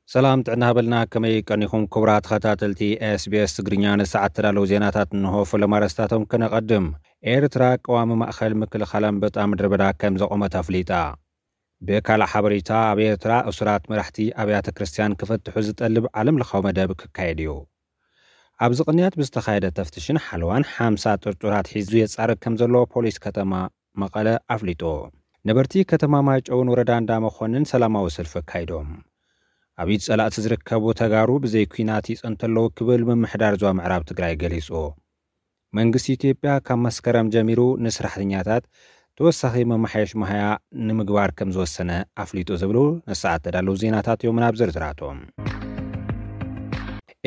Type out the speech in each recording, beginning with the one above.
ሰላም ጥዕና ሃበልና፣ ከመይ ቀኒኹም ክቡራት ተኸታተልቲ SBS ትግርኛ? ንሰዓት ተዳለዉ ዜናታት እንሆ። ፈለማ ኣርእስታቶም ከነቐድም። ኤርትራ ቀዋሚ ማእኸል ምክልኻል ኣንበጣ ምድረ በዳ ከም ዘቖመት ኣፍሊጣ። ብካልእ ሓበሬታ፣ ኣብ ኤርትራ እሱራት መራሕቲ ኣብያተ ክርስቲያን ክፍትሑ ዝጠልብ ዓለም ለኻዊ መደብ ክካየድ እዩ። ኣብዚ ቅንያት ብዝተኻየደ ተፍትሽን ሓለዋን ሓምሳ ጥርጡራት ሒዙ የጻርግ ከም ዘሎ ፖሊስ ከተማ መቐለ ኣፍሊጡ። ነበርቲ ከተማ ማይጨውን ወረዳ እንዳ መኾንን ሰላማዊ ሰልፊ ኣካይዶም። ኣብ ኢድ ጸላእቲ ዝርከቡ ተጋሩ ብዘይ ኲናት ይጸንቱ ኣለዉ ክብል ምምሕዳር ዞባ ምዕራብ ትግራይ ገሊጹ። መንግስቲ ኢትዮጵያ ካብ መስከረም ጀሚሩ ንስራሕተኛታት ተወሳኺ መመሓየሽ መሃያ ንምግባር ከም ዝወሰነ ኣፍሊጡ ዝብሉ ንሰዓት ተዳለዉ ዜናታት እዮም። ናብ ዝርዝራቶም።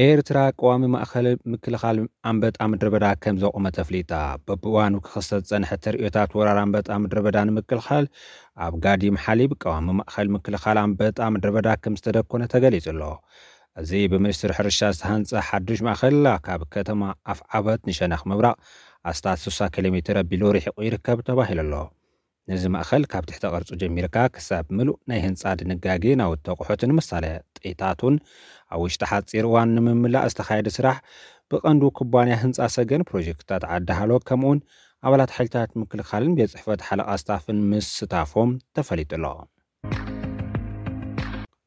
ኤርትራ ቀዋሚ ማእኸል ምክልኻል ኣንበጣ ምድረ በዳ ከም ዘቑመት ኣፍሊጣ። በብእዋኑ ክኽሰት ዝጸንሐ ተርእዮታት ወራር ኣንበጣ ምድረ በዳ ንምክልኻል ኣብ ጋዲም ሓሊብ ቀዋሚ ማእኸል ምክልኻል ኣንበጣ ምድረ በዳ ከም ዝተደኮነ ተገሊጹ ኣሎ። እዚ ብሚኒስትሪ ሕርሻ ዝተሃንጸ ሓዱሽ ማእኸል ካብ ከተማ ኣፍዓበት ንሸነኽ ምብራቕ ኣስታት ስሳ ኪሎ ሜትር ኣቢሉ ርሒቑ ይርከብ ተባሂሉ ኣሎ። ነዚ ማእኸል ካብ ትሕተ ቅርጹ ጀሚርካ ክሳብ ምሉእ ናይ ህንጻ ድንጋጌ ናውቲ ኣቑሑትን ምሳሌ ጥይታቱን ኣብ ውሽጢ ሓጺር እዋን ንምምላእ ዝተኻየደ ስራሕ ብቐንዱ ኩባንያ ህንጻ ሰገን ፕሮጀክትታት ዓዲ ሃሎ ከምኡውን ኣባላት ሓይልታት ምክልኻልን ቤት ጽሕፈት ሓለቓ ስታፍን ምስታፎም ተፈሊጡ ኣሎ።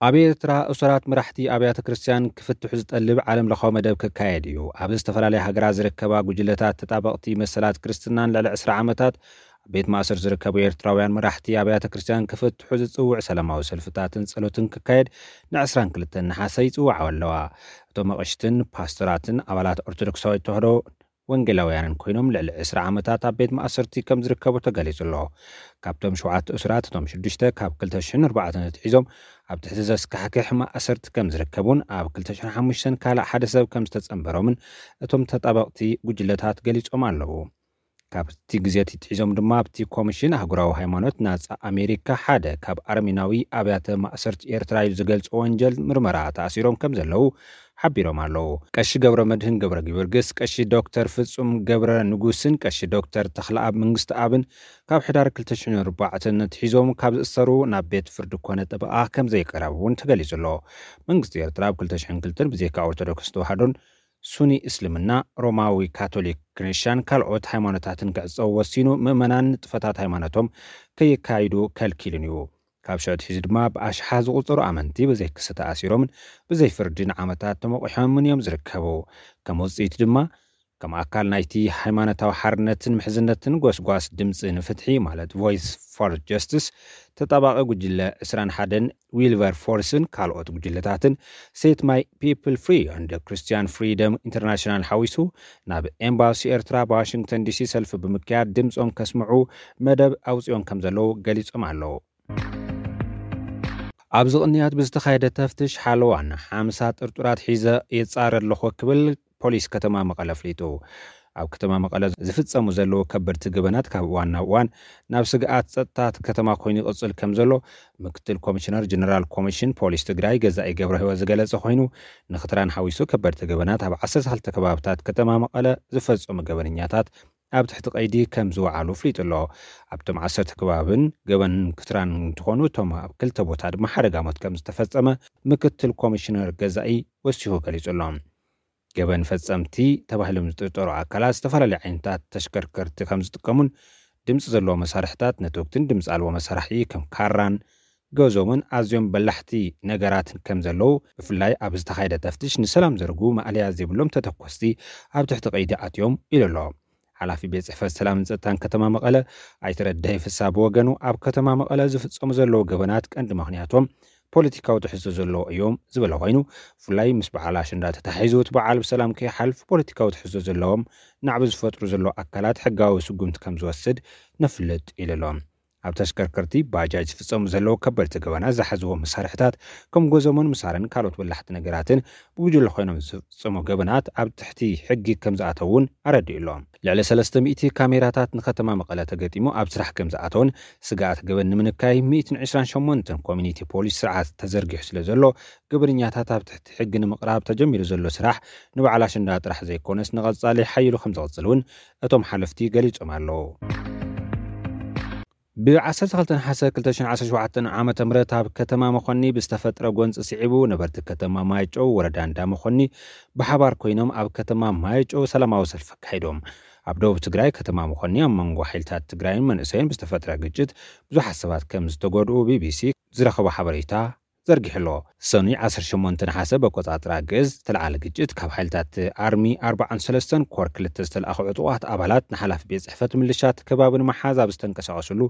ኣብ ኤርትራ እሱራት መራሕቲ ኣብያተ ክርስቲያን ክፍትሑ ዝጠልብ ዓለም ለኻዊ መደብ ክካየድ እዩ። ኣብ ዝተፈላለያ ሃገራት ዝርከባ ጉጅለታት ተጣበቕቲ መሰላት ክርስትናን ልዕሊ ዕስራ ዓመታት ኣብ ቤት ማእሰር ዝርከቡ ኤርትራውያን መራሕቲ ኣብያተ ክርስቲያን ክፍትሑ ዝጽውዕ ሰላማዊ ሰልፍታትን ጸሎትን ክካየድ ን22 ነሓሰ ይጽውዓ ኣለዋ። እቶም ኣቕሽትን ፓስተራትን ኣባላት ኦርቶዶክሳዊት ተዋህዶ ወንጌላውያንን ኮይኖም ልዕሊ ዕስራ ዓመታት ኣብ ቤት ማእሰርቲ ከም ዝርከቡ ተገሊጹ ኣሎ። ካብቶም ሸውዓተ እሱራት እቶም ሽዱሽተ ካብ ክልተ ሽሕን ኣርባዕተን ኣትሒዞም ኣብ ትሕቲ ዘስካሕክሕ ማእሰርቲ ከም ዝርከቡን ኣብ ክልተ ሽሕን ሓሙሽተን ካልእ ሓደ ሰብ ከም ዝተጸንበሮምን እቶም ተጣበቕቲ ጉጅለታት ገሊጾም ኣለዉ። ካብቲ ግዜ ኣትሒዞም ድማ ኣብቲ ኮሚሽን ኣህጉራዊ ሃይማኖት ናጻ ኣሜሪካ ሓደ ካብ ኣርሜናዊ ኣብያተ ማእሰርቲ ኤርትራ ኢሉ ዝገልጾ ወንጀል ምርመራ ተኣሲሮም ከም ዘለዉ ሓቢሮም ኣለዉ። ቀሺ ገብረ መድህን ገብረ ጊዮርጊስ፣ ቀሺ ዶክተር ፍጹም ገብረ ንጉስን ቀሺ ዶክተር ተኽለኣብ መንግስቲ ኣብን ካብ ሕዳር ክልተ ሽሕን ኣርባዕተን ኣትሒዞም ካብ ዝእሰሩ ናብ ቤት ፍርዲ ኮነ ጠበቓ ከም ዘይቀረቡ እውን ተገሊጹ ኣሎ። መንግስቲ ኤርትራ ኣብ ክልተ ሽሕን ክልተን ብዘይካ ኦርቶዶክስ ተዋህዶን ሱኒ እስልምና፣ ሮማዊ ካቶሊክ ክርስቲያን ካልኦት ሃይማኖታትን ክዕጸው ወሲኑ፣ ምእመናን ንጥፈታት ሃይማኖቶም ከየካይዱ ከልኪሉን እዩ። ካብ ሽዑ ኣትሒዙ ድማ ብኣሽሓት ዝቑጸሩ ኣመንቲ ብዘይ ክሲ ተኣሲሮምን ብዘይ ፍርዲ ንዓመታት ተመቑሖምን እዮም ዝርከቡ። ከም ውጽኢት ድማ ከም ኣካል ናይቲ ሃይማኖታዊ ሓርነትን ምሕዝነትን ጎስጓስ ድምጺ ንፍትሒ ማለት ቮይስ ፎር ጀስቲስ ተጣባቒ ጉጅለ ዕስራን ሓደን ዊልቨር ፎርስን ካልኦት ጉጅለታትን ሴት ማይ ፒፕል ፍሪ and ክርስቲያን ፍሪደም ኢንተርናሽናል ሓዊሱ ናብ ኤምባሲ ኤርትራ ብዋሽንግተን ዲሲ ሰልፊ ብምክያድ ድምጾም ከስምዑ መደብ ኣውጺኦም ከም ዘለዉ ገሊጾም ኣለዉ። ኣብዚ ቅንያት ብዝተኻየደ ተፍትሽ ሓለዋን ሓምሳ ጥርጡራት ሒዘ የጻረ ኣለኹ ክብል ፖሊስ ከተማ መቐለ ኣፍሊጡ። ኣብ ከተማ መቐለ ዝፍጸሙ ዘለዉ ከበድቲ ገበናት ካብ እዋን ናብ እዋን ናብ ስግኣት ጸጥታ እቲ ከተማ ኮይኑ ይቕጽል ከም ዘሎ ምክትል ኮሚሽነር ጀነራል ኮሚሽን ፖሊስ ትግራይ ገዛኢ ገብረ ህይወት ዝገለጸ ኮይኑ፣ ንክትራን ሓዊሱ ከበድቲ ገበናት ኣብ ዓሰርተ ክልተ ከባብታት ከተማ መቐለ ዝፈጸሙ ገበነኛታት ኣብ ትሕቲ ቀይዲ ከም ዝወዓሉ ኣፍሊጡ ኣሎ። ኣብቶም ዓሰርተ ከባብን ገበን ክትራን እንትኾኑ፣ እቶም ኣብ ክልተ ቦታ ድማ ሓደጋ ሞት ከም ዝተፈጸመ ምክትል ኮሚሽነር ገዛኢ ወሲኹ ገሊጹ ኣሎ። ገበን ፈጸምቲ ተባሂሎም ዝጥርጠሩ ኣካላት ዝተፈላለዩ ዓይነታት ተሽከርከርቲ ከም ዝጥቀሙን ድምፂ ዘለዎ መሳርሕታት ነትወክትን ድምፂ ኣልቦ መሳርሒ ከም ካራን ገዞምን ኣዝዮም በላሕቲ ነገራትን ከም ዘለዉ፣ ብፍላይ ኣብ ዝተኻየደ ተፍትሽ ንሰላም ዘርጉ ማእለያ ዘይብሎም ተተኮስቲ ኣብ ትሕቲ ቀይዲ ኣትዮም ኢሉ ኣሎ። ሓላፊ ቤት ጽሕፈት ሰላምን ጸጥታን ከተማ መቐለ ኣይተ ረዳኢ ፍስሃ ብወገኑ፣ ኣብ ከተማ መቐለ ዝፍጸሙ ዘለዉ ገበናት ቀንዲ ምኽንያቶም ፖለቲካዊ ትሕዝቶ ዘለዎ እዮም ዝበለ ኮይኑ፣ ብፍላይ ምስ በዓል ኣሸንዳ ተታሒዙ እቲ በዓል ብሰላም ከይሓልፍ ፖለቲካዊ ትሕዝቶ ዘለዎም ናዕቢ ዝፈጥሩ ዘለዉ ኣካላት ሕጋዊ ስጉምቲ ከም ዝወስድ ነፍልጥ ኢሉ ኣሎ። ኣብ ተሽከርከርቲ ባጃጅ ዝፍጸሙ ዘለዉ ከበድቲ ገበናት ዝሓዝዎም መሳርሕታት ከም ጎዞሞን ምሳርን ካልኦት በላሕቲ ነገራትን ብጉጅለ ኮይኖም ዝፍጸሙ ገበናት ኣብ ትሕቲ ሕጊ ከም ዝኣተዉ እውን ኣረዲኡ ኣሎ። ልዕሊ ሰለስተ ሚእቲ ካሜራታት ንከተማ መቐለ ተገጢሙ ኣብ ስራሕ ከም ዝኣተውን ስግኣት ገበን ንምንካይ ሚእትን ዕስራን ሸሞንተን ኮሚኒቲ ፖሊስ ስርዓት ተዘርጊሑ ስለ ዘሎ፣ ገበነኛታት ኣብ ትሕቲ ሕጊ ንምቕራብ ተጀሚሩ ዘሎ ስራሕ ንበዓል ኣሸንዳ ጥራሕ ዘይኮነስ ንቐጻሊ ሓይሉ ከም ዝቕጽል እውን እቶም ሓለፍቲ ገሊጾም ኣለዉ። ብ12 ነሓሰ 2017 ዓመተ ምህረት ኣብ ከተማ መኾኒ ብዝተፈጥረ ጎንፂ ስዒቡ ነበርቲ ከተማ ማይጨው ወረዳ እንዳ መኾኒ ብሓባር ኮይኖም ኣብ ከተማ ማይጨው ሰላማዊ ሰልፊ ኣካይዶም። ኣብ ደቡብ ትግራይ ከተማ መኾኒ ኣብ መንጎ ሓይልታት ትግራይን መንእሰይን ብዝተፈጥረ ግጭት ብዙሓት ሰባት ከም ዝተጎድኡ ቢቢሲ ዝረኸቦ ሓበሬታ ዘርጊሕሎ። ሰኑይ 18 ነሓሰ በቆፃፅራ ግእዝ ዝተለዓለ ግጭት ካብ ሓይልታት ኣርሚ 43 ኮር 2 ዝተለኣኹ ዕጡቓት ኣባላት ንሓላፊ ቤት ፅሕፈት ምልሻ እቲ ከባቢ ንምሓዝ ኣብ ዝተንቀሳቐስሉ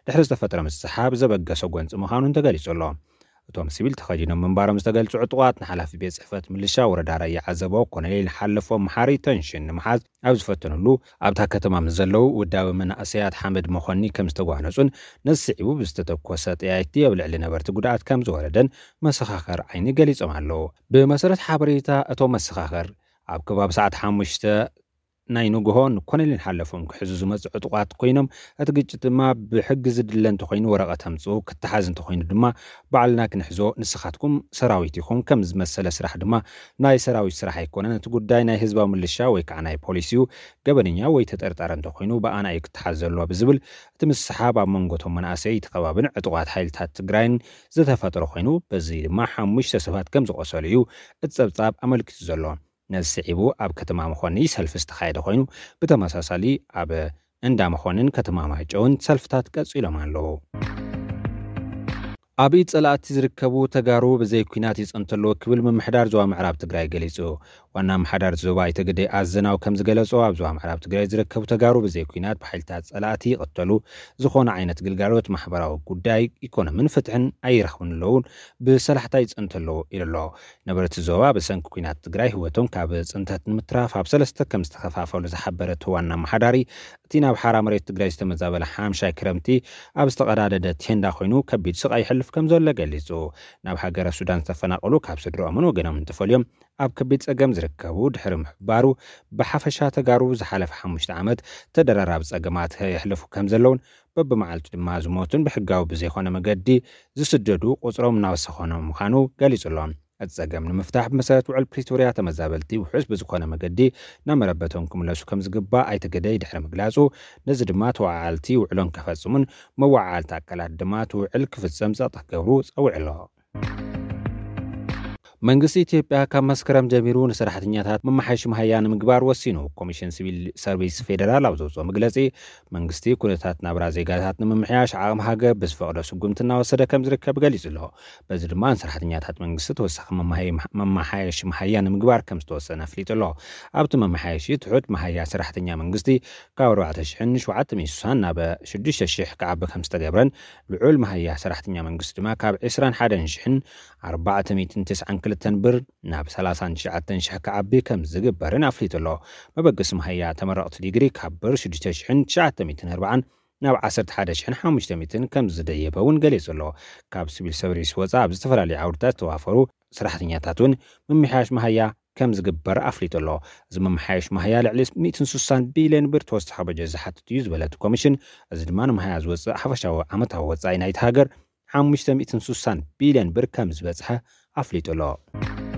ድሕሪ ዝተፈጥረ ምስሓብ ዘበገሰ ጎንፂ ምዃኑን ተገሊጹ ኣሎ። እቶም ሲቪል ተኸዲኖም ምንባሮም ዝተገልጹ ዕጡቓት ንሓላፊ ቤት ፅሕፈት ምልሻ ወረዳ ራያ ዓዘቦ ኮሎኔል ሓለፎም መሓሪ ተንሽን ንምሓዝ ኣብ ዝፈተኑሉ ኣብታ ከተማ ምስ ዘለዉ ውዳዊ መናእሰያት ሓመድ መኾኒ ከም ዝተጓነጹን ነዚ ስዒቡ ብዝተተኮሰ ጠያይቲ ኣብ ልዕሊ ነበርቲ ጉድኣት ከም ዝወረደን መሰኻኸር ዓይኒ ገሊጾም ኣለዉ። ብመሰረት ሓበሬታ እቶም መሰኻኸር ኣብ ከባቢ ሰዓት ሓሙሽተ ናይ ንግሆ ንኮሎኔል ሓለፎም ክሕዙ ዝመፁ ዕጡቓት ኮይኖም እቲ ግጭት ድማ ብሕጊ ዝድለ እንተኮይኑ ወረቐት ኣምፅኡ፣ ክተሓዝ እንተኮይኑ ድማ ባዕልና ክንሕዞ፣ ንስኻትኩም ሰራዊት ኢኹም፣ ከም ዝመሰለ ስራሕ ድማ ናይ ሰራዊት ስራሕ ኣይኮነን፣ እቲ ጉዳይ ናይ ህዝባዊ ምልሻ ወይ ከዓ ናይ ፖሊስ እዩ፣ ገበነኛ ወይ ተጠርጣሪ እንተኮይኑ ብኣና እዩ ክተሓዝ ዘለዎ ብዝብል እቲ ምስሓብ ኣብ መንጎ እቶም መናእሰይ እቲ ከባብን ዕጡቓት ሓይልታት ትግራይን ዝተፈጠረ ኮይኑ በዚ ድማ ሓሙሽተ ሰባት ከም ዝቆሰሉ እዩ እቲ ፀብፃብ ኣመልኪቱ ዘሎ። ነዚ ስዒቡ ኣብ ከተማ መኾኒ ሰልፊ ዝተኻየደ ኮይኑ ብተመሳሳሊ ኣብ እንዳ መኾንን ከተማ ማይጨውን ሰልፍታት ቀፂሎም ኣለዉ። ኣብ ኢድ ፀላእቲ ዝርከቡ ተጋሩ ብዘይ ኲናት ይፀንቱ ኣለዉ ክብል ምምሕዳር ዞባ ምዕራብ ትግራይ ገሊፁ። ዋና ምሓዳር ዞባ ኣይተ ግደይ ኣዘናው ከም ዝገለጾ ኣብ ዞባ ምዕራብ ትግራይ ዝርከቡ ተጋሩ ብዘይ ኲናት ብሓይልታት ፀላእቲ ይቕተሉ፣ ዝኾነ ዓይነት ግልጋሎት ማሕበራዊ ጉዳይ ኢኮኖምን ፍትሕን ኣይረኽብን ኣለዉን ብሰላሕታ ይፀንቱ ኣለዉ ኢሉ ኣሎ። ነበርቲ ዞባ ብሰንኪ ኲናት ትግራይ ህይወቶም ካብ ፅንተት ንምትራፍ ኣብ ሰለስተ ከም ዝተኸፋፈሉ ዝሓበረ እቲ ዋና ኣመሓዳሪ እቲ ናብ ሓራ መሬት ትግራይ ዝተመዛበለ ሓምሻይ ክረምቲ ኣብ ዝተቐዳደደ ቴንዳ ኮይኑ ከቢድ ስቓይ ይሕልፍ ከም ዘሎ ገሊጹ። ናብ ሃገረ ሱዳን ዝተፈናቐሉ ካብ ስድርኦምን ወገኖምን ተፈልዮም ኣብ ከቢድ ጸገም ዝርከቡ ድሕሪ ምሕባሩ ብሓፈሻ ተጋሩ ዝሓለፈ ሓሙሽተ ዓመት ተደራራቢ ጸገማት የሕልፉ ከም ዘለውን በብመዓልቱ ድማ ዝሞቱን ብሕጋዊ ብዘይኮነ መገዲ ዝስደዱ ቁጽሮም እናወሰኸ ምዃኑ ገሊጹ ኣሎ። እቲ ጸገም ንምፍታሕ ብመሰረት ውዕል ፕሪቶርያ ተመዛበልቲ ውሑስ ብዝኾነ መገዲ ናብ መረበቶም ክምለሱ ከም ዝግባእ ኣይተ ግደይ ድሕሪ ምግላጹ፣ ነዚ ድማ ተወዓዓልቲ ውዕሎን ከፈጽሙን መወዓዓልቲ ኣካላት ድማ እቲ ውዕል ክፍጸም ጸቕጢ ክገብሩ ጸዊዑ ኣሎ። መንግስቲ ኢትዮጵያ ካብ መስከረም ጀሚሩ ንሰራሕተኛታት መመሓየሺ መሃያ ንምግባር ወሲኑ። ኮሚሽን ሲቪል ሰርቪስ ፌደራል ኣብ ዘውፅኦ መግለፂ መንግስቲ ኩነታት ናብራ ዜጋታት ንምምሕያሽ ዓቕሚ ሃገር ብዝፈቕዶ ስጉምቲ እናወሰደ ከም ዝርከብ ገሊጹ ኣሎ። በዚ ድማ ንሰራሕተኛታት መንግስቲ ተወሳኺ መማሃይ- መመሓየሺ መሃያ ንምግባር ከም ዝተወሰነ ኣፍሊጡ ኣሎ። ኣብቲ መመሓየሺ ትሑት መሃያ ሰራሕተኛ መንግስቲ ካብ 4,760 ናብ 6,000 ክዓቢ ከም ዝተገብረን ልዑል መሃያ ሰራሕተኛ መንግስቲ ድማ ካብ 21,492 ብር ናብ 39,000 ክዓቢ ከም ዝግበርን ኣፍሊጡ ኣሎ። መበገሲ መሃያ ተመረቕቲ ዲግሪ ካብ ብር 6,940 ናብ 11,500 ከም ዝደየበ እውን ገሊጹ ኣሎ። ካብ ሲቪል ሰርቪስ ወፃኢ ኣብ ዝተፈላለዩ ዓውድታት ዝተዋፈሩ ሰራሕተኛታት እውን ምምሕያሽ መሃያ ከም ዝግበር ኣፍሊጡ ኣሎ። እዚ ምምሕያሽ መሃያ ልዕሊ 160 ቢልዮን ብር ተወሳኺ በጀት ዝሓትት እዩ ዝበለት ኮሚሽን፣ እዚ ድማ ንመሃያ ዝወፅእ ሓፈሻዊ ዓመታዊ ወፃኢ ናይቲ ሃገር 560 ቢልዮን ብር ከም ዝበፅሐ ኣፍሊጡ ኣሎ።